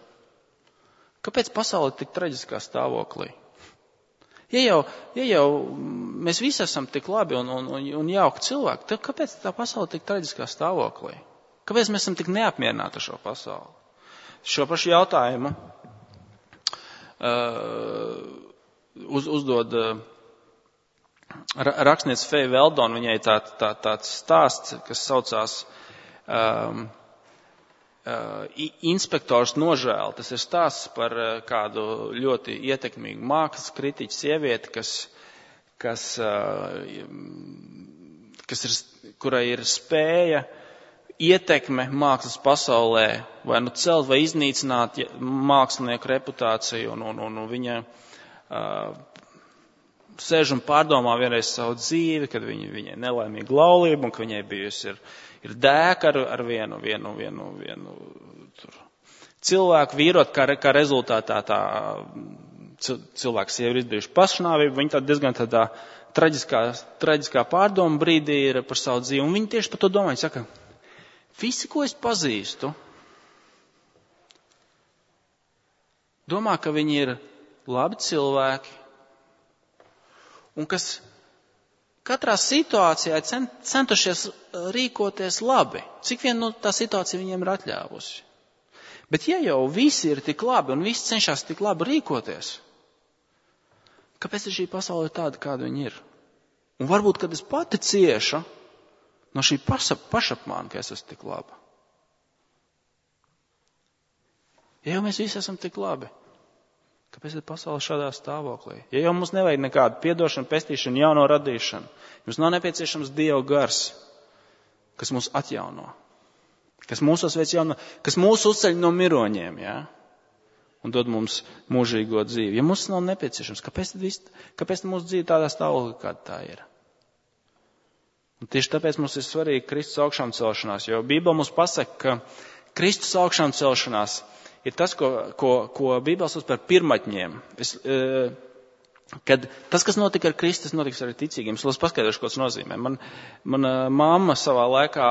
Speaker 1: kāpēc pasaule ir tik traģiskā stāvoklī? Ja jau mēs visi esam tik labi un jauki cilvēki, tad kāpēc tā pasaule tik traģiskā stāvoklī? Kāpēc mēs esam tik neapmierināti ar šo pasauli? Šo pašu jautājumu uzdod rakstniece Feja Veldona. Viņai tāds stāsts, kas saucās Inspektors nožēla. Tas ir stāsts par kādu ļoti ietekmīgu mākslas kritiķu sievieti, kurai ir spēja, ietekme mākslas pasaulē vai nu celt vai iznīcināt mākslinieku reputāciju, un viņa sēž un pārdomā vienreiz savu dzīvi, kad viņai nelaimīga laulība un ka viņai bijusi ir dēka ar vienu cilvēku vīrot, kā rezultātā tā cilvēks jau ir izdarījuši pašnāvību, viņi tā diezgan tādā traģiskā pārdoma brīdī ir par savu dzīvi. Un viņi tieši par to domā, viņi saka, visi, ko es pazīstu, domā, ka viņi ir labi cilvēki un kas katrā situācijā centušies rīkoties labi, cik vien tā situācija viņiem ir atļāvusi. Bet ja jau visi ir tik labi un visi cenšas tik labi rīkoties, kāpēc šī pasaule ir tāda, kāda viņa ir? Un varbūt, kad es pati ciešu no šī pašapmāna, ka es esmu tik laba. Ja jau mēs visi esam tik labi, kāpēc ir pasaule šādā stāvoklī? Ja jau mums nevajag nekādu piedošanu, pestīšanu, jauno radīšanu, jums nav nepieciešams Dieva gars, kas mūs atjauno, kas mūsos veic jauno, kas mūs uzceļ no miroņiem, ja? Un dod mums mūžīgo dzīvi. Ja mums nav nepieciešams, kāpēc mūsu dzīve tādā stāvoklī, kāda tā ir? Un tieši tāpēc mums ir svarīgi Kristus augšām celšanās, jo Bībele mums pasaka, ka Kristus augšām celšanās ir tas, ko Bībele sauc par pirmatņiem. Kad tas, kas notika ar Kristu, tas notiks arī ticīgiem. Es paskaidrošu, ko tas nozīmē. Mana mamma savā laikā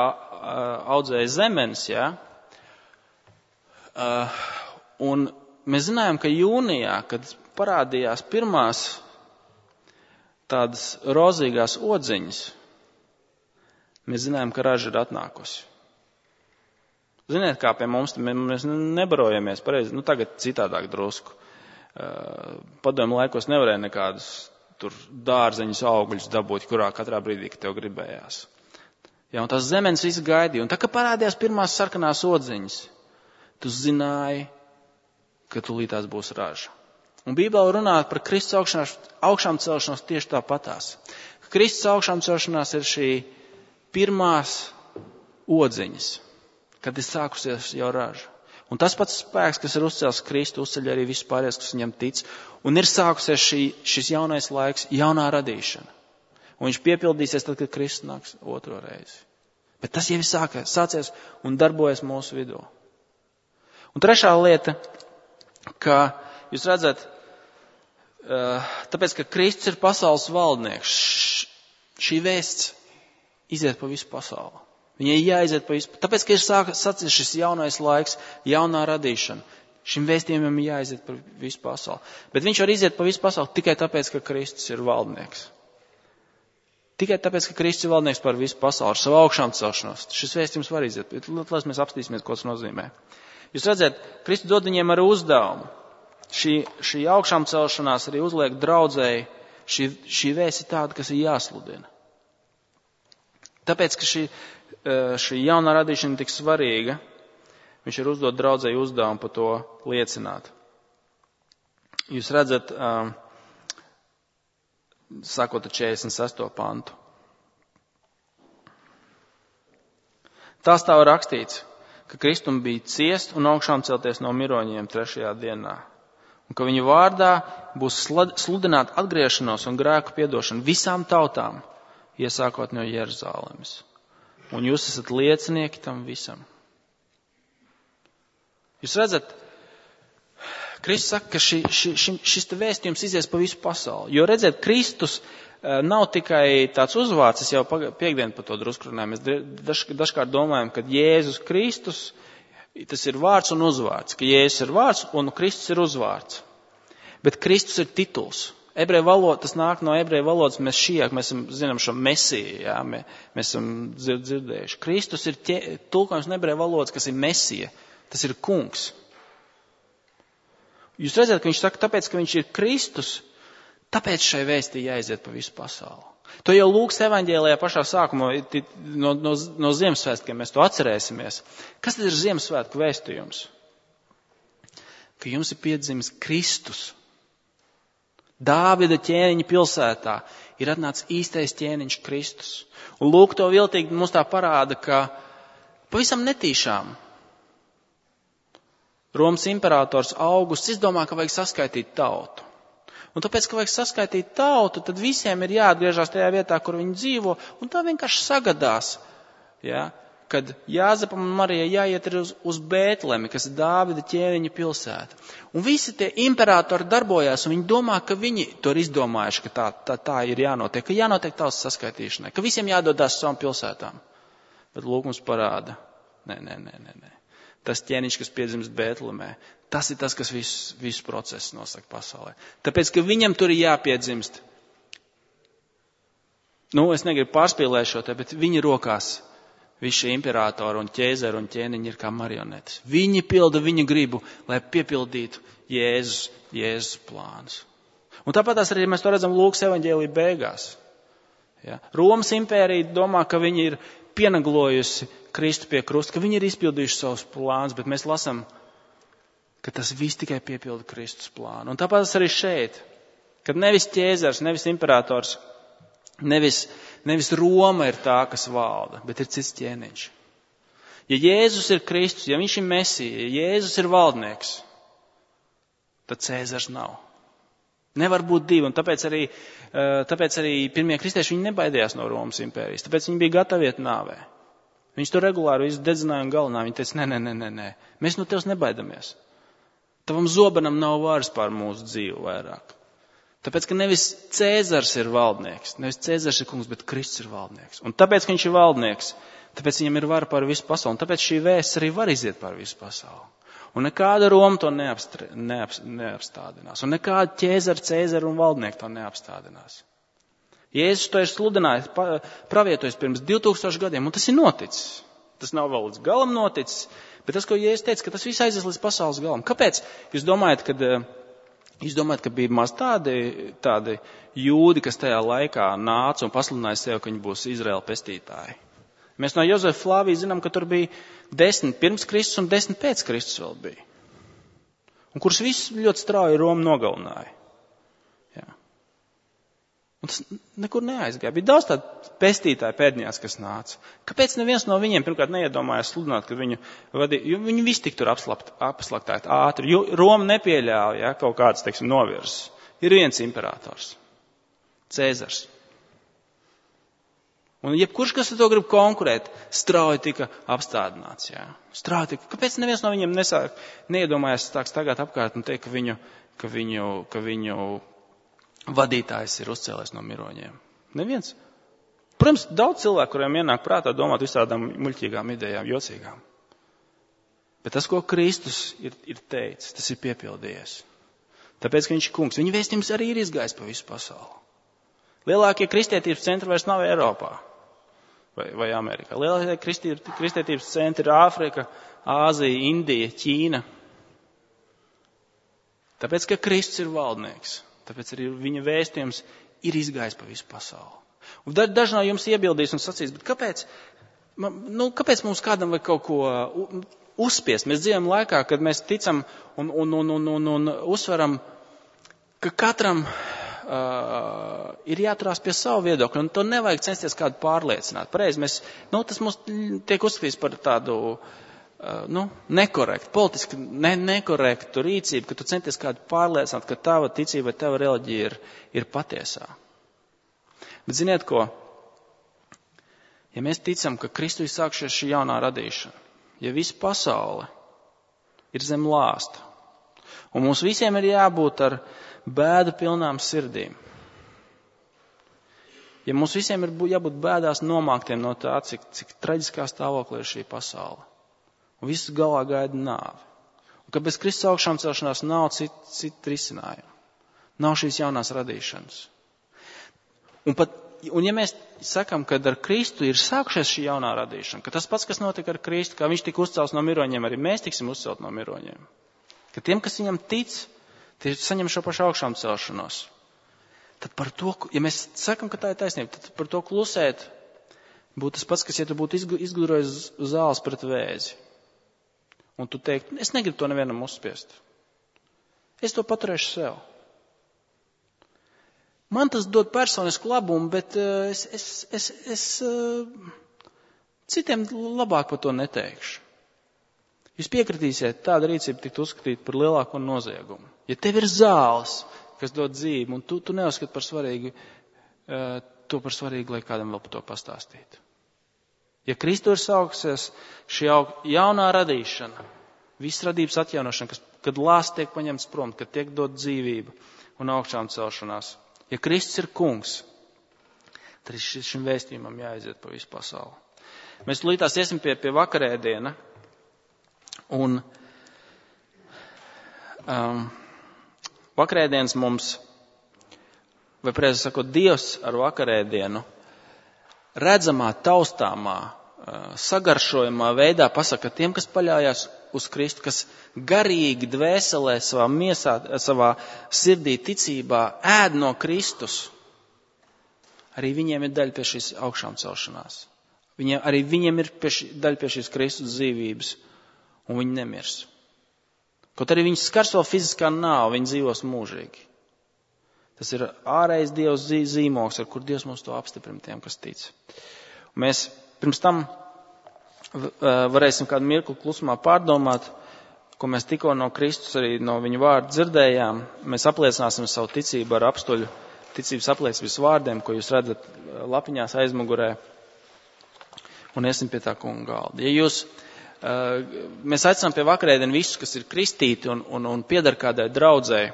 Speaker 1: audzēja zemenes, ja? Un mēs zinājām, ka jūnijā, kad parādījās pirmās tādas rozīgās odziņas, mēs zinājām, ka raža ir atnākusi. Ziniet, kā pie mums, mēs nebarojamies pareizi, tagad citādāk drusku. Padomju laikos nevarēja nekādus tur dārzeņus, augļus dabūt, kurā katrā brīdī, kad tev gribējās. Ja, un tās zemenes visi gaidīja, un tā, kad parādījās pirmās sarkanās odziņas, tu zināji, ka tūlītās būs raža. Un Bībele runā par Kristus augšām celšanos tieši tāpatās. Kristus augšām celšanās ir šī pirmās odziņas, kad ir sākusies jau raža. Un tas pats spēks, kas ir uzcēlis Kristu, uzceļ arī visus pārējos, kas viņam tic. Un ir sākusies šis jaunais laiks, jaunā radīšana. Un viņš piepildīsies tad, kad Kristus nāks otro reizi. Bet tas jau ir sācies un darbojas mūsu vidū. Un trešā lieta, ka jūs redzat, tāpēc, ka Kristus ir pasaules valdnieks, šī vēsts iziet pa visu pasauli. Viņai jāiziet pa visu, tāpēc, ka ir sācies šis jaunais laiks, jaunā radīšana. Šim vēstījumam ir jāiziet pa visu pasauli. Bet viņš var iziet pa visu pasauli tikai tāpēc, ka Kristus ir valdnieks. Tikai tāpēc, ka Kristus ir valdnieks par visu pasauli, ar savu augšām celšanos. Šis vēstījums var iziet, bet lai mēs apstīsimies, ko tas nozīmē. Jūs redzat, Kristus dod viņiem arī uzdevumu. Šī augšām celšanās arī uzliek draudzēji, šī vēsts ir tāda, kas ir jāsludina. Tāpēc, ka šī jaunā radīšana ir tik svarīga, viņš ir uzdot draudzēji uzdevumu par to liecināt. Jūs redzat, sākot ar 46. pantu. Tā stāv rakstīts, ka Kristum bija ciest un augšām celties no miroņiem 3. dienā, un ka viņa vārdā būs sludināt atgriešanos un grēku piedošanu visām tautām, iesākot no Jeruzalemes. Un jūs esat liecinieki tam visam. Jūs redzat, Kristus saka, ka šis te vēstījums izies pa visu pasauli. Jo redzēt, Kristus nav tikai tāds uzvārds, es jau piekdien par to drusku runāju. Mēs dažkārt domājam, ka Jēzus Kristus, tas ir vārds un uzvārds. Ka Jēzus ir vārds un Kristus ir uzvārds. Bet Kristus ir tituls. Ebreju valoda, tas nāk no ebreju valodas, mēs zinām šo mesiju, jā, mēs esam dzirdējuši. Kristus ir tulkojums no ebreju valodas, kas ir mesija, tas ir kungs. Jūs redzat, ka viņš saka, tāpēc, ka viņš ir Kristus, tāpēc šai vēstī jāiziet pa visu pasauli. To jau Lūkas evaņģēlijā pašā sākumā, no Ziemassvētkiem mēs to atcerēsimies. Kas tad ir Ziemassvētku vēstījums? Ka jums ir piedzimis Kristus. Dāvida ķēniņa pilsētā ir atnācis īstais ķēniņš Kristus. Un lūk, to viltīgi mums tā parāda, ka pavisam netīšām Romas imperators Augusts izdomā, ka vajag saskaitīt tautu. Un tāpēc, ka vajag saskaitīt tautu, tad visiem ir jāatgriežas tajā vietā, kur viņi dzīvo, un tā vienkārši sagadās, ja, kad Jāzepam un Marijai jāiet uz Bētlemi, kas ir Dāvida ķēniņa pilsēta. Un visi tie imperatori darbojās, un viņi domā, ka viņi to ir izdomājuši, ka tā ir jānotiek, ka jānotiek tautas saskaitīšanai, ka visiem jādodās savām pilsētām. Bet lūk mums parāda, nē. Tas ķēniņš, kas piedzimst Bētlemē, tas ir tas, kas visu procesu nosaka pasaulē. Tāpēc, ka viņam tur ir jāpiedzimst. Es negribu pārspīlēt šo te, bet viņa rokās visi šie imperatori un ķēzari un ķēniņi ir kā marionetes. Viņi pilda viņa gribu, lai piepildītu Jēzus plānus. Un tāpat arī mēs to redzam Lūkas evaņģēlija beigās. Ja? Romas impērija domā, ka viņi ir pienaglojusi Kristu pie krusta, ka viņi ir izpildījuši savus plānus, bet mēs lasam, ka tas viss tikai piepilda Kristus plānu. Un tāpēc arī šeit, kad nevis ķēzars, nevis imperators, nevis Roma ir tā, kas valda, bet ir cits ķēniņš. Ja Jēzus ir Kristus, ja viņš ir Mesija, ja Jēzus ir valdnieks, tad Cēzars nav. Nevar būt divi, un tāpēc arī pirmie kristieši viņi nebaidījās no Romas impērijas, tāpēc viņi bija gatavi iet nāvē. Viņš to regulāri visu dedzināja un galinā. Viņi teica, nē, mēs no tevis nebaidamies. Tavam zobenam nav varas pār mūsu dzīvi vairāk. Tāpēc, ka nevis Cēzars ir valdnieks, nevis Cēzars ir kungs, bet Kristus ir valdnieks. Un tāpēc, ka viņš ir valdnieks, tāpēc viņam ir vara pār visu pasauli. Un tāpēc šī vēsts arī var iziet pār visu pasauli. Un nekāda Roma to neapstādinās. Un nekāda ķēzara, Cēzara un valdnieki to neapstādinās. Jēzus to ir sludinājis, pravietojis pirms 2000 gadiem, un tas ir noticis. Tas nav vēl līdz galam noticis, bet tas, ko Jēzus teica, ka tas viss aizies līdz pasaules galam. Kāpēc? Jūs domājat, ka bija maz tādi jūdi, kas tajā laikā nāca un pasludināja sev, ka viņi būs Izraēla pestītāji? Mēs no Jozefa Flāvija zinām, ka tur bija 10 pirms Kristus un 10 pēc Kristus vēl bija. Un kurš viss ļoti strauji Romu nogalināja. Jā. Un tas nekur neaizgāja. Bija daudz tādu pestītāju pēdņās, kas nāca. Kāpēc neviens no viņiem pirmkārt neiedomājās sludināt, ka viņu vadīja, jo viņi visi tik tur apslaktāt ātri. Jo Roma nepieļāva, kaut kāds, novirzes. Ir viens imperators. Cēzars. Un jebkurš, kas ar to grib konkurēt, strauji tika apstādināts. Jā. Strauji tika. Kāpēc neviens no viņiem neiedomājās tagad apkārt un teikt, ka viņu vadītājs ir uzcēlies no miroņiem? Neviens. Protams, daudz cilvēku, kuriem ienāk prātā domāt visādām muļķīgām idejām, jocīgām. Bet tas, ko Kristus ir teicis, tas ir piepildījies. Tāpēc, ka viņš ir kungs. Viņa vēstījums arī ir izgājis pa visu pasauli. Lielākie kristietības centri vairs nav Eiropā vai Amerikā. Lielākie kristietības centri ir Āfrika, Āzija, Indija, Ķīna. Tāpēc, ka Kristus ir valdnieks, tāpēc arī viņa vēstījums ir izgājis pa visu pasauli. Un daži no jums iebildīs un sacīs, bet kāpēc mums kādam vajag kaut ko uzspiest? Mēs dzīvojam laikā, kad mēs ticam un uzsveram, ka katram ir jāturās pie savu viedokļu, un to nevajag censties kādu pārliecināt. Pareizi, tas mums tiek uzskatīts par tādu nekorektu, politiski nekorektu rīcību, ka tu centies kādu pārliecināt, ka tava ticība, tava reliģija ir patiesā. Bet ziniet ko? Ja mēs ticam, ka Kristu ir sākšies šī jaunā radīšana, ja visa pasaule ir zem lāsta, un mums visiem ir jābūt ar bēdu pilnām sirdīm. Ja mums visiem ir jābūt bēdās nomāktiem no tā, cik traģiskā stāvoklī ir šī pasaule. Un viss galā gaida nāvi. Un ka bez Kristus augšām celšanās nav citu risinājumu. Nav šīs jaunās radīšanas. Un ja mēs sakam, ka ar Kristu ir sākušies šī jaunā radīšana, ka tas pats, kas notika ar Kristu, kā viņš tika uzcelts no miroņiem, arī mēs tiksim uzcelt no miroņiem. Ka tiem, kas viņam tic, tie saņem šo pašu augšām celšanos. Tad par to, ja mēs sakam, ka tā ir taisnība, tad par to klusēt būtu tas pats, kas, ja tu būtu izgudrojis zāles pret vēzi. Un tu teikt, es negribu to nevienam uzspiest. Es to paturēšu sev. Man tas dod personisku labumu, bet es citiem labāk par to neteikšu. Jūs piekritīsiet, tāda rīcība tikt uzskatīt par lielāko noziegumu. Ja tev ir zāles, kas dod dzīvi, un tu neuzskati par svarīgu, par svarīgu, lai kādam vēl par to pastāstītu. Ja Kristu ir sauksies šī jaunā radīšana, viss radības atjaunošana, kad lāsts tiek paņemts prom, kad tiek dot dzīvība un augšām celšanās. Ja Kristus ir kungs, tad šim vēstījumam jāaiziet pa visu pasauli. Mēs līdz iesim pie vakarēdiena, un vakarēdienas mums, vai precīzi sakot, Dievs ar vakarēdienu redzamā, taustāmā, sagaršojumā veidā pasaka tiem, kas paļājās uz Kristu, kas garīgi dvēselē savā miesā, savā sirdī ticībā ēd no Kristus. Arī viņiem ir daļa pie šīs augšām celšanās. Arī viņiem ir daļa pie šīs Kristus dzīvības, un viņi nemirs. Kaut arī viņus skars vēl fiziskā nāve, viņi dzīvos mūžīgi. Tas ir ārējais Dievs zīmogs, ar kur Dievs mums to apstiprina tiem, kas tic. Un mēs pirms tam varēsim kādu mirkli klusumā pārdomāt, ko mēs tikko no Kristus arī no viņa vārda dzirdējām. Mēs apliecināsim savu ticību ar apstuļu ticības apliecības vārdiem, ko jūs redzat lapiņās aizmugurē, un iesim pie tā kunga galda. Mēs aicinām pie vakarēdienu visus, kas ir kristīti un piedar kādai draudzei.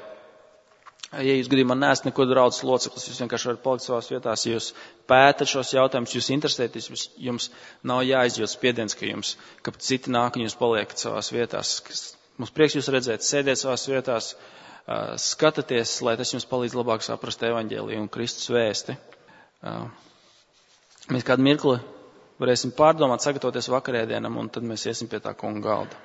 Speaker 1: Ja jūs gadījumā neesat neko draudzes loceklis, jūs vienkārši varat palikt savās vietās, ja jūs pētat šos jautājumus, jūs interesēties, jums nav jāizjūt spiediens, ka citi nāk un jūs paliekat savās vietās. Mums prieks jūs redzēt, sēdiet savās vietās, skatāties, lai tas jums palīdz labāk saprast evaņģēliju un Kristus vēsti. Mēs kādu mirkli varēsim pārdomāt, sagatavoties vakarēdienam, un tad mēs iesim pie tā kunga galda.